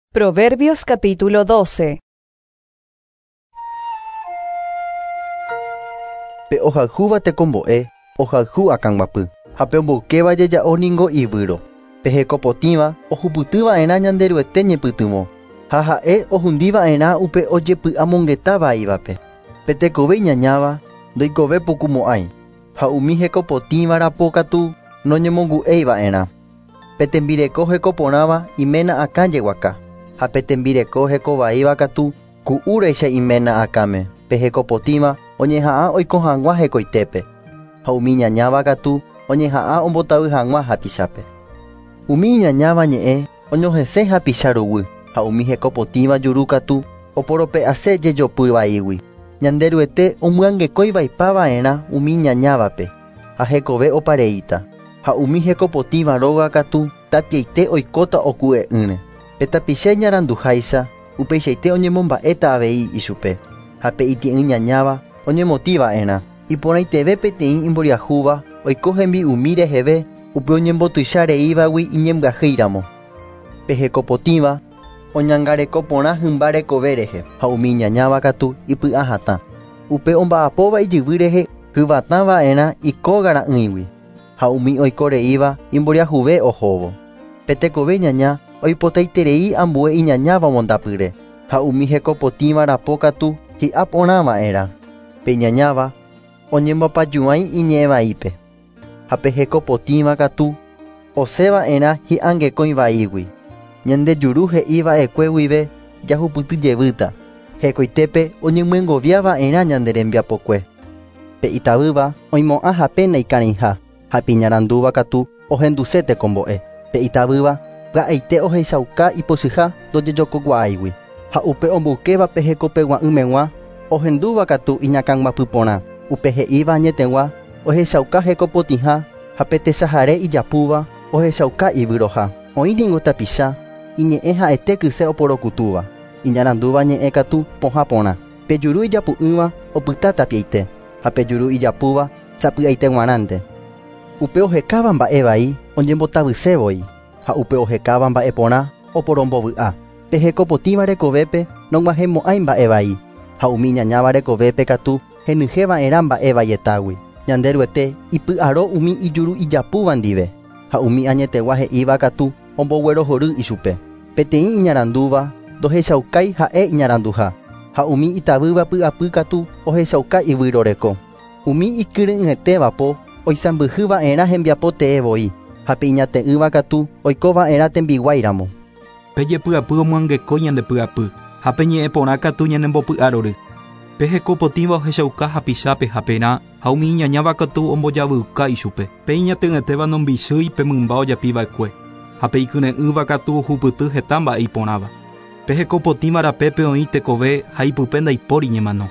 Proverbios capítulo 12. Pe ohayhúva tekombo'e, ohayhu akãguapy, ha pe omboykéva jeja'o ningo ivýro. Pe hekopotĩva ohupytyva'erã Ñanderuete ñepytyvõ, ha ha'e ohundiva'erã upe ojepy'amongeta vaívape. Pe tekove iñañáva ndoikove pukumo'ãi, ha umi hekopotĩva rapo katu noñemongu'eiva'erã. Pe tembireko hekoporãva iména akã jeguaka, ha pe tembireko hekovaíva katu ku'úraicha iména akãme. Pe hekopotĩva oñeha'ã oiko hag̃ua hekoitépe, ha umi iñañáva katu oñeha'ã ombotavy hag̃ua hapichápe. Umi iñañáva ñe'ẽ oñohesẽ hapicha ruguy, ha umi hekopotĩva juru katu oporope'ase jejopy vaígui. Ñanderuete omyangekói vaipava'erã umi iñañávape, ha hekove opareíta, ha umi hekopotĩva róga katu tapiaite oikóta oku'e'ỹre. Pe tapicha iñaranduháicha upeichaite oñemomba'éta avei ichupe, ha pe itie'ỹ ñañáva oñemotĩva'erã. Iporãiteve peteĩ imboriahúva oiko hembi'umi reheve upe oñembotuicha reívagui iñembyahýiramo. Pe hekopotĩva oñangareko porã hymba rekove rehe, ha umi iñañáva katu ipy'ahatã. Upe omba'apóva ijyvy rehe hyvatãva'erã ikógara'ỹigui, ha umi oikoreíva imboriahuve ohóvo. Pe tekove ñaña oipotaiterei ambue iñañáva omondapyre, ha umi hekopotĩva rapo katu hi'a porãva'erã. Pe iñañáva oñembopajuãi iñe'ẽvaípe, ha pe hekopotĩva katu osẽva'erã hi'angekõi vaígui. Ñande juru he'iva'ekue guive jahupyty jevýta, hekoitépe oñemyengoviava'erã ñande rembiapokue. Pe itavýva oimo'ã hape naikarẽiha, ha pe iñarandúva katu ohenduse tekombo'e. Pe itavýva pya'eite ohechauka ipochyha ndojejokokuaáigui, ha upe omboykéva pe hekopegua'ỹmegua ohendúva katu iñakãguapy porã. Upe he'íva añetegua ohechauka hekopotĩha, ha pe techahare ijapúva ohechauka ivyroha. Oĩ ningo tapicha iñe'ẽ ha'ete kyse oporokutúva, iñarandúva ñe'ẽ katu pohã porã. Pe juru ijapu'ỹva opyta tapiaite, ha pe juru ijapúva sapy'aite g̃uarãnte. Upe ohekáva mba'e vai oñembotavysévoi, ha upe ohekáva mba'e porã oporombovy'a. Pe hekopotĩva rekovépe nog̃uahẽmo'ãi mba'e vai, ha umi iñañáva rekovépe katu henyhẽva'erã mba'e vaietágui. Ñanderuete ipy'aro umi ijuru ijapúva ndive, ha umi añetegua he'íva katu omboguerohory ichupe. Peteĩ iñarandúva ndohechaukái ha'e iñaranduha, ha umi itavýva py'apy katu ohechauka ivýroreko. Umi ikyre'ỹetévapo oisãmbyhyva'erã hembiapo tee voi, ha pe iñate'ỹva katu oikova'erã tembiguáiramo. Pe jepy'apy omyangekói ñande py'apy, ha pe ñe'ẽ porã katu ñanembopy'arory. Pe hekopotĩva ohechauka hapichápe haperã, ha umi iñañáva katu ombojavyuka ichupe. Pe iñate'ỹetéva nombichýi pe mymba ojapiva'ekue, ha pe ikyre'ỹva katu ohupyty heta mba'e iporãva. Pe hekopotĩva rapépe oĩ tekove ha ipype ndaipóri ñemano.